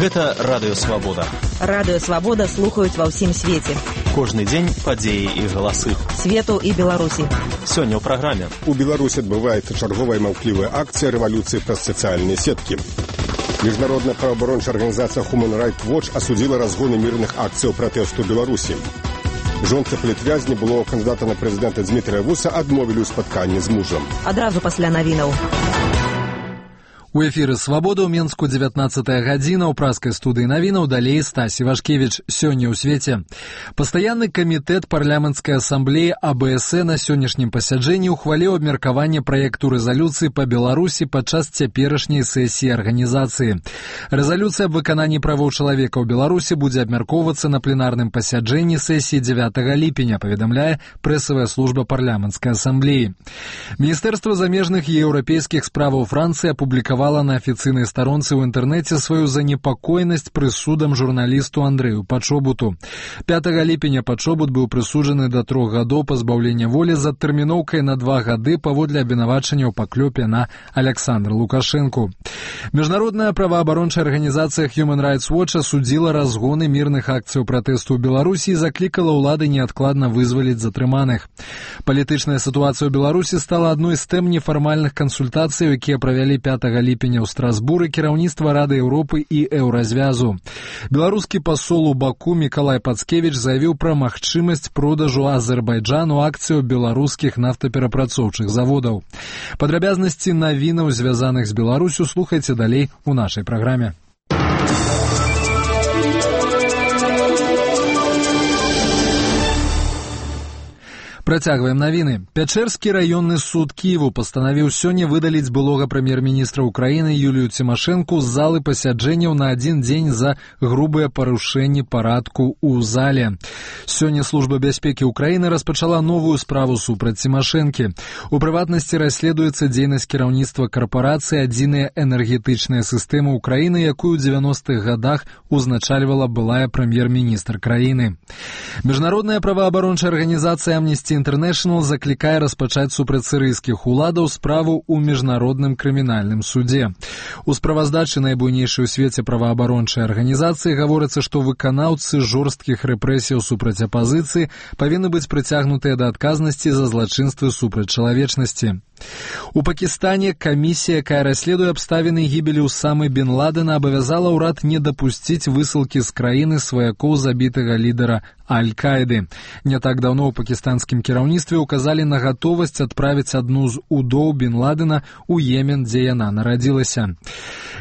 Гэта Радыё Свабода. Радыё Свабода слухаюць ва ўсім свеце. Кожны дзень падзеі і галасы. Свету і Беларусі. Сёння ў праграме. У Беларусі адбываецца чарговая маўклівая акцыя рэвалюцыі праз сацыяльныя сеткі. Міжнародная праваабарончая арганізацыя Human Rights Watch асудзіла разгоны мірных акцыяў пратэсту ў Беларусі. Жонцы палітвязні былого кандыдата на прэзідэнта Дзмітрыя Вуса адмовілі ў спатканні з мужам. Адразу пасля навінаў. У эфіры «Свабода» ў Менску 19-я гадзіна, ў праскай студыі навінаў, далей Стась Івашкевіч. Сёння ў свеце. Пастаянны камітэт парламенцкай асамблеі АБС на сённяшнім пасяджэнні ухваліў абмеркаванне праекту рэзалюцыі па Беларусі падчас цяперашняй сесіі арганізацыі. Рэзалюцыя аб выкананні правоў чалавека ў Беларусі будзе абмяркоўвацца на пленарным пасяджэнні сесіі 9 ліпеня, паведамляе прэсавая служба парламенцкай асамблеі. Міністэрства замежных і еўрапейскіх справаў Францыі апублікавала на афіцыйнай старонцы ў інтэрнэце сваю занепакоенасць прысудам журналісту Андрэю Пачобуту. 5 ліпеня Пачобут быў прысуджаны да 3 гадоў пазбаўлення волі з адтэрміноўкай на 2 гады паводле абвінавачання ў паклёпе на Аляксандра Лукашэнку. Міжнародная праваабарончая арганізацыя Human Rights Watch асудзіла разгоны мірных акцыяў пратэсту ў Беларусі і заклікала ўлады неадкладна вызваліць затрыманых. Палітычная сітуацыя ў Беларусі стала адной з тэм нефармальных кансультацый, якія правялі 5 ліпеня ў Страсбуры кіраўніцтва Рады Еўропы і Еўразвязу. Беларускі пасол у Баку Мікалай Пацкевіч заявіў пра магчымасць продажу Азербайджану акцыяў беларускіх нафтаперапрацоўчых заводаў. Падрабязнасці навінаў, звязаных з Беларусю, слухайце далей у нашай праграме. Працягваем навіны. Пячэрскі раённы суд Кіеву пастанавіў сёння выдаліць былога прэм'ер-міністра Украіны Юлію Цімашэнку з залы пасяджэнняў на адзін дзень за грубыя парушэнні парадку ў зале. Сёння Служба бяспекі Украіны распачала новую справу супраць Цімашэнкі. У прыватнасці расследуецца дзейнасць кіраўніцтва карпорацыі «Адзіная энергетычная сістэма Украіны», якую ў 90-х гадах узначальвала былая прэм'ер-міністр краіны. Міжнародная праваабарончая арганізацыя Amnesty International заклікае распачаць супраць сірыйскіх уладаў справу ў міжнародным крымінальным судзе. У справаздачы найбуйнейшай у свеце праваабарончай арганізацыі гаворыцца, што выканаўцы жорсткіх рэпрэсіяў супраць апазіцыі павінны быць прыцягнутыя да адказнасці за злачынствы супраць чалавечнасці. У Пакістане камісія, якая расследуе абставіны гібелі Усамы бен Ладена, абавязала ўрад не дапусціць высылкі з краіны сваякоў забітага лідара Аль-Каіды. Не так даўно ў пакістанскім кіраўніцтве указалі на гатовасць адправіць адну з удоў бен Ладена ў Йемен, дзе яна нарадзілася.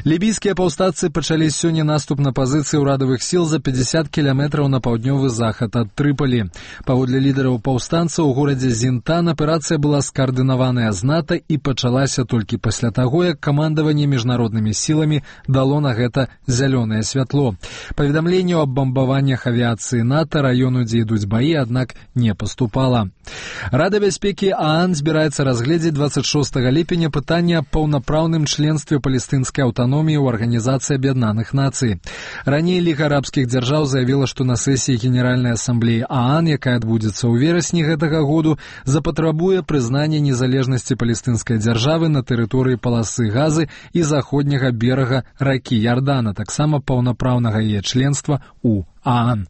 Лібійскія паўстанцы пачалі сёння наступ на пазіцыі ўрадавых сіл за 50 кіламетраў на паўднёвы захад ад Трыпалі. Паводле лідараў паўстанцаў у горадзе Зінтан аперацыя была скаардынаваная з НАТО і пачалася толькі пасля таго, як камандаванне міжнароднымі сіламі дало на гэта зялёнае святло. Паведамленняў аб бамбаваннях авіяцыі НАТО раёну, дзе ідуць баі, аднак не паступала. Рада бяспекі ААН збіраецца разгледзець 26 ліпеня пытанне аб паўнапраўным членстве палестынскай аўтаноміі ў Арганізацыі Аб'яднаных Нацый. Раней Ліга арабскіх дзяржаў заявіла, што на сесіі Генеральнай асамблеі ААН, якая адбудзецца ў верасні гэтага году, запатрабуе прызнання незалежнасці палестынскай дзяржавы на тэрыторыі паласы Газы і заходняга берага ракі Ярдан, а таксама паўнапраўнага яе членства ў ААН.